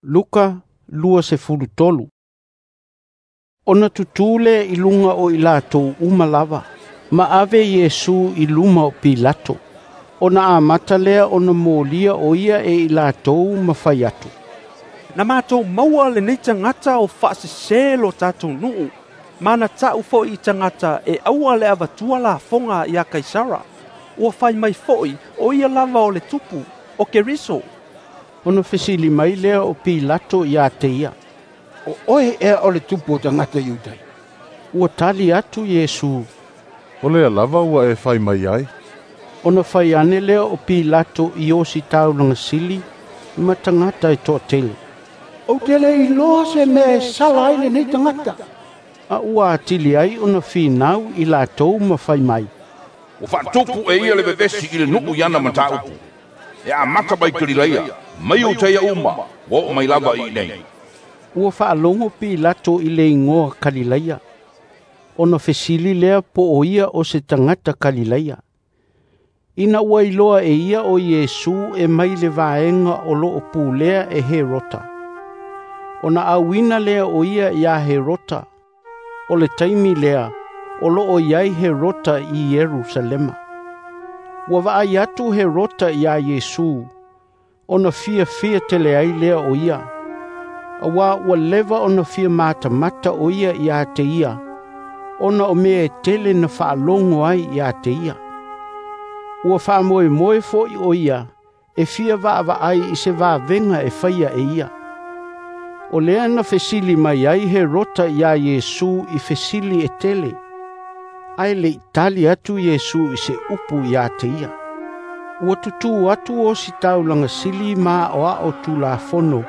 Luka 23. Ona tutū lea i luga o i latou uma lava, ma ave Iesu i luma o Pilato. Ona amata lea ona molia o ia e i latou ma fai atu, "Na matou maua lenei tagata o faasesē lo tatou nuu, ma na ta'u fo'i i tagata e aua le avatua lafoga ia Kaisara. Ua fai mai fo'i o ia lava o le tupu, o Keriso." Ona fesili mai lea o Pilato ia te ia, "O oe ea o le tupu o tagata Iutai?" Ua tali atu Iesu, "O lea lava ua e fai mai ai." Ona fai ane lea o Pilato i ositaulaga sili ma tagata e toatele, "Ou te le iloa se mea e sala ai lenei tagata." A ua atili ai ona finau i latou ma fai mai, "Ua faatupu e ia le vevesi i le nuu i ana mataupu. E amata mai Kalilaia, mai Iutaia uma, ua oo mai lava i inei." Ua faalogo Pilato i le igoa Kalilaia, ona fesili lea po o ia o se tagata Kalilaia. Ina ua iloa e ia o Iesu e mai le vaega o loo pulea e Herota, ona auina lea o ia iā Herota. O le taimi lea o loo i ai Herota i Ierusalema. Ua vaai atu Herota iā Iesu, ona fiafia tele ai lea o ia, auā ua leva ona fia matamata o ia iā te ia, ona o mea e tele na faalogo ai iā te ia. Ua faamoemoe fo'i o ia e fia vaavaai i se vavega e faia e ia. O lea na fesili mai ai Herota iā Iesu i fesili e tele, ae le'i tali atu Iesu i se upu iā te ia. Ua tutū atu ositaulaga sili ma aoao Tulafono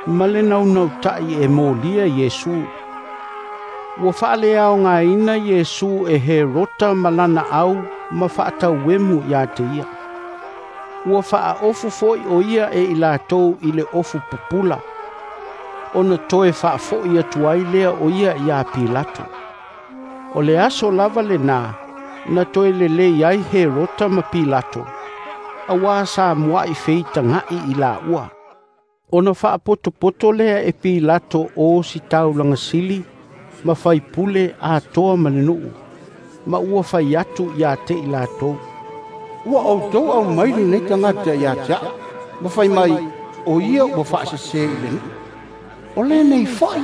ma le naunauta'i e molia Iesu. Ua faaleaogaina Iesu e Herota ma lana au ma faatauemu iā te ia. Ua faaofu fo'i o ia e i latou i le ofu pupula, ona toe faafo'i atu ai lea o ia iā Pilato. O le aso lava lenā na toe lelei ai Herota ma Pilato, auā sa mua'i feitaga'i i laua. Ona faapotopoto lea e Pilato o ositaulaga sili ma faipule atoa ma le nuu, ma ua fai atu iā te i latou, "Ua outou aumai lenei tagata ia te a'u, ma fai mai o ia ua faasesē i le nuu. O lenei fo'i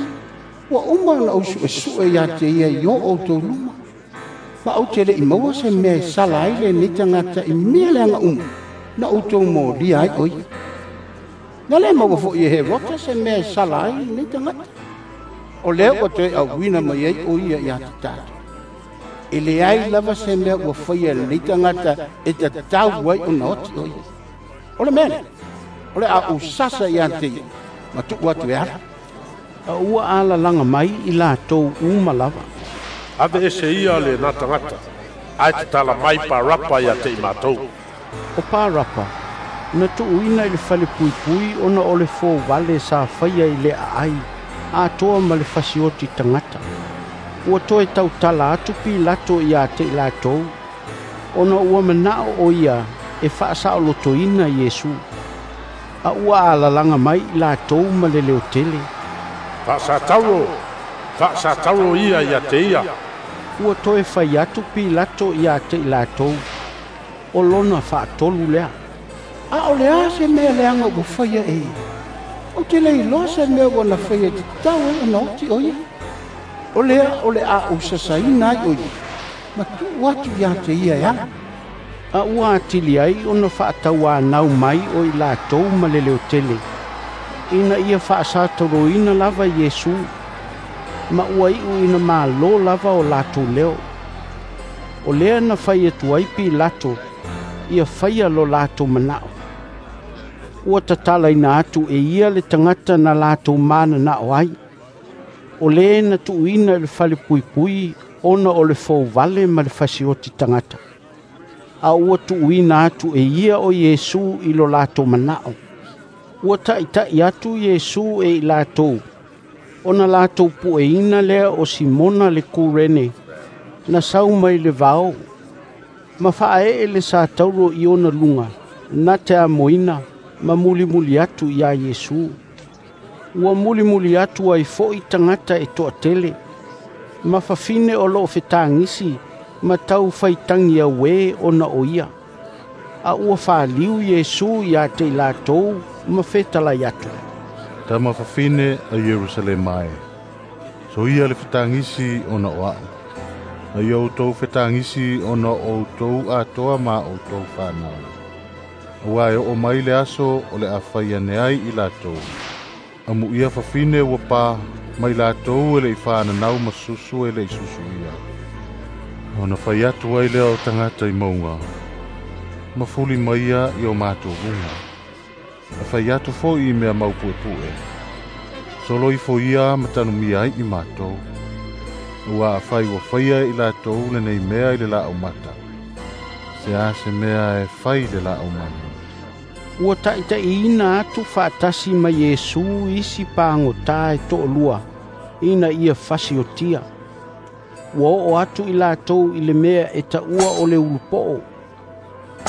ua uma ona ou su'esu'e ia te ia i o outou luma, ma ou te le'i maua se mea e sala ai lenei tagata i mea leaga uma na outou molia ai o ia. Na lē maua fo'i e Herota se mea e sala ai lenei tagata. O lea ua toe auina mai ai o ia ia te tatou. E leai lava se mea ua faia e lenei tagata e tatau ai ona oti o ia. O le mea lea, o le a ou sasa ia te ia, ma tuu atu e ala." A ua alalaga mai i latou uma lava, "Aveese ia lenā tagata, ae tatala mai Parapa ia te i matou." O Parapa na tuuina i le falepuipui ona o le fovale sa faia i le aai atoa ma le fasioti tagata. Ua toe tautala atu Pilato iā te i latou, ona ua mana'o o ia e faasaolotoina Iesu. A ua alalaga mai i latou ma le leotele, "Faasatauro, faasatauro ia ia te ia." Ua toe fai atu Pilato iā te i latou, o lona faatolu lea, "A o le a se mea leaga ua faia e ia? Ou te le iloa se mea ua na faia e tatau ai ona oti o ia. O lea o le a ou sasaina ai o ia, ma tuu atu ia te ia e ala." A ua atili ai ona faatauanau mai o i latou ma le leotele, ina ia faasatauroina lava Iesu, ma ua iu ina malo lava o latou leo. O lea na fai atu ai Pilato ia faia lo latou mana'o. Ua tatalaina atu e ia le tagata na latou manana'o ai, o lē na tuuina i le falepuipui ona o le fouvale ma le fasioti tagata. A ua tuuina atu e ia o Iesu i lo latou mana'o. Ua ta'ita'i atu Iesu e i latou, ona latou pueina lea o Simona le Kurene na sau mai le vao, ma faaee le satauro i ona luga na te amoina ma mulimuli atu iā Iesu. Ua mulimuli atu ai fo'i tagata e to'atele, ma fafine o lo'o fetagisi ma tau faitagi auē ona o ia. A ua faliu Iesu ia te i latou ma fetalai atu, Tama fafine a Ierusalema e, soia le fetagisi ona o a'u, a ia outou fetagisi ona o outou atoa ma outou fanau. Auā e oo mai le aso o le a fai ane ai i latou, amuia fafine ua pa mai latou e le'i fananau ma susu e le'i susuia. Ona fai atu ai lea o tagata i mauga, ma fuli mai ia i o matou luga. A fai atu fo'i i mea maupuepue, solo ifo ia ma tanumia ai i matou. Ua afai ua faia i latou lenei mea i le laaumata, se a se mea e fai i le laaumanu. Ua ta'ita'iina atu fa'atasi ma Iesu isi pagotā e to'alua ina ia fasiotia. Ua oo atu i latou i le mea e ta'ua o le ulupo'o,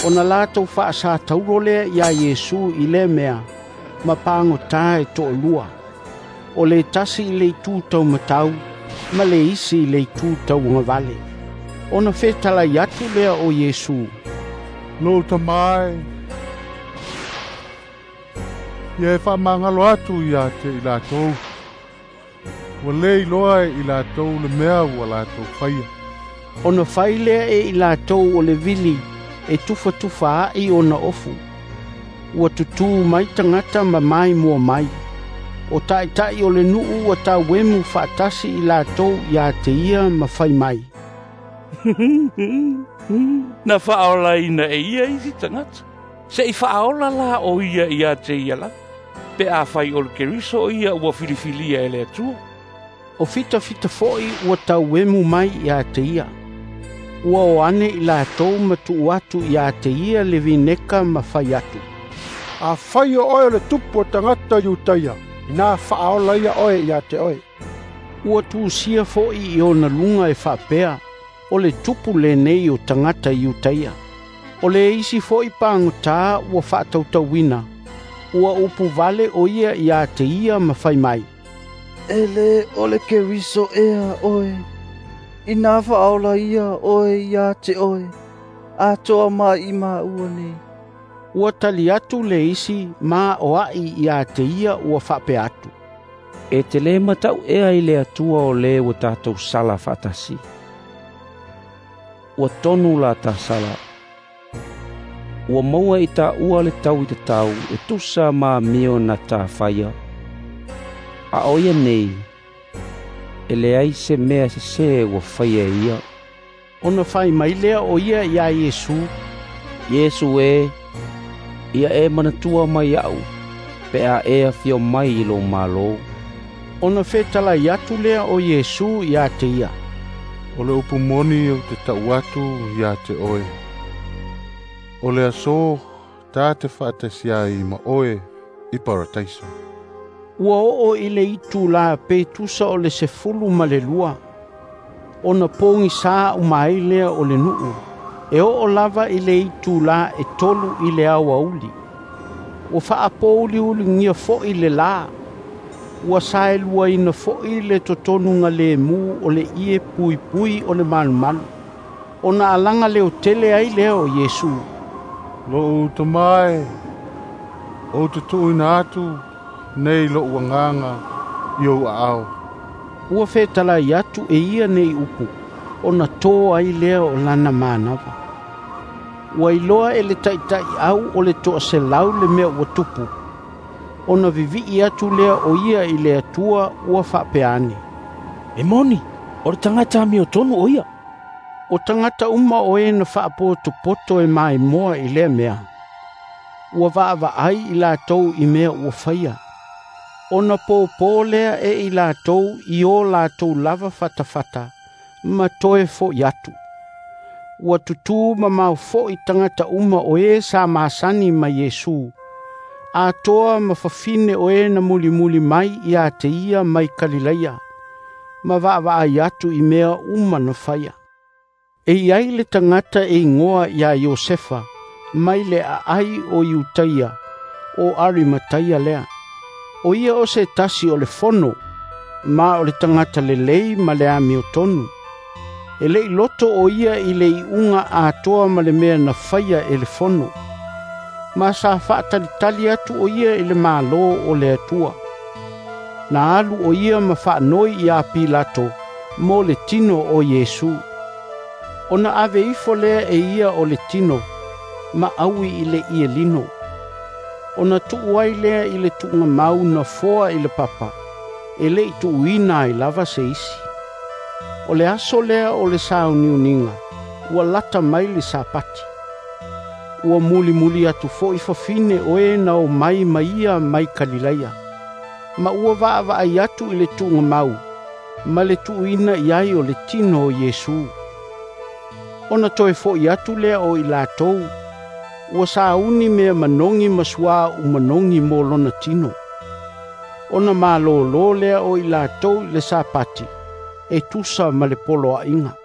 ona latou fa'asataulo lea iā Iesu i lea mea ma pagotā e to'alua, o le tasi i le itu taumatau ma le isi i le itu tauagavale. Ona fetalai atu lea o Iesu, Lou Tamā e, ia e fa'amagalo atu ia te i latou, ua lē iloa e i latou le mea ua latou faia. Ona fai lea e i latou o le vili e tufatufa a'i ona ofu. Ua tutū mai tagata ma maimoa mai. O ta'ita'i o le nu'u ua tauemu fa'atasi i latou iā te ia ma fai mai, Na fa'aolaina e ia isi tagata, se'i fa'aola la o ia ia te ia lava, pe afai o le Keriso o ia ua filifilia e le Atua. O fitafita fo'i ua tauemu mai iā te ia. Ua o ane i latou ma tu'u atu iā te ia le vineka ma fai atu, Afai o oe o le tupu o tagata Iutaia, inā fa'aola ia oe ia te oe. Ua tusia fo'i i ona luga e fa'apea, o le tupu lenei o tagata Iutaia. O le isi fo'i pagotā ua fa'atautauina, ua upu vale o ia iā te ia ma fai mai, E lē o le Keriso ea oe, inā fa'aola ia oe ia te oe, atoa mai i māua nei. Ua tali atu le isi ma o a'i iā te ia ua fa'apea atu, E te lē mata'u ea i le Atua o lē ua tatou sala fa'atasi. Ua tonu la tasala. Ua maua i tāua le tau i tatau e tusa ma amio na tāwhaia. A o ia nei, e leai se mea sesē ua faia e ia. Ona fai mai lea o ia iā Iesu, Iesu e, ia e manatua mai a'u, pe a e afio mai i lou Mālō. Ona fetalai atu lea o Iesu iā te ia, O le upu moni ou te ta'u atu ia te oe, o le aso tā te fa'atasi ai ma oe i Parataiso. Ua oo i le itulā pe tusa o le 12, ona pogisā uma ai lea o le nu'u, e oo lava i le itulā e 3 i le aoauli. Ua fa'apouliuligia fo'i le lā, ua saeluaina fo'i le totonuga lēmū o le ie puipui o le malumalu. Ona alaga leotele ai lea o Iesu, Lo'u Tamā e, ou te tu'uina atu nei lo'u agaga i ou aao. Ua fetalai atu e ia nei upu, ona tō ai lea o lana manava. Ua iloa e le ta'ita'i'au o le 100 le mea ua tupu, ona vivi'i atu lea o ia i le Atua ua fa'apea ane, E moni, o le tagata amiotonu o ia. O tagata uma o e na fa'apotopoto e maimoa i lea mea, ua va'ava'ai i latou i mea ua faia. Ona pōpō lea e i latou i o latou lava fatafata ma toe fo'i atu. Ua tutū mamao fo'i tagata uma o e sa masani ma Iesu, atoa ma fafine o e na mulimuli mai iā te ia mai Kalilaia, ma va'ava'ai atu i mea uma na faia. E iai le tagata e igoa iā Iosefa, mai le a'ai o Iutaia, o Arimataia lea. O ia o se tasi o le fono, ma o le tagata lelei ma le amiotonu. E le'i loto o ia i le iuga atoa ma le mea na faia e le fono. Ma sa faatalitali atu o ia i le Malo o le Atua. Na alu o ia ma faanoi iā Pilato mo le tino o Iesu. Ona ave ifo lea e ia o le tino, ma aui i le ielino. Ona tuu ai lea i le tuugamau na foa i le papa, e le'i tuuina ai lava se isi. O le aso lea o le sauniuniga, ua lata mai le Sapati. Ua mulimuli atu fo'i fafine o e na omai ma ia mai Kalilaia. Ma ua vaavaai atu i le tuugamau, ma le tuuina i ai o le tino o Iesu. Ona toe fo'i atu lea o i latou, ua sauni mea manogi ma suauu manogi mo lona tino. Ona malōlō lea o i latou i le Sapati, e tusa ma le poloaiga.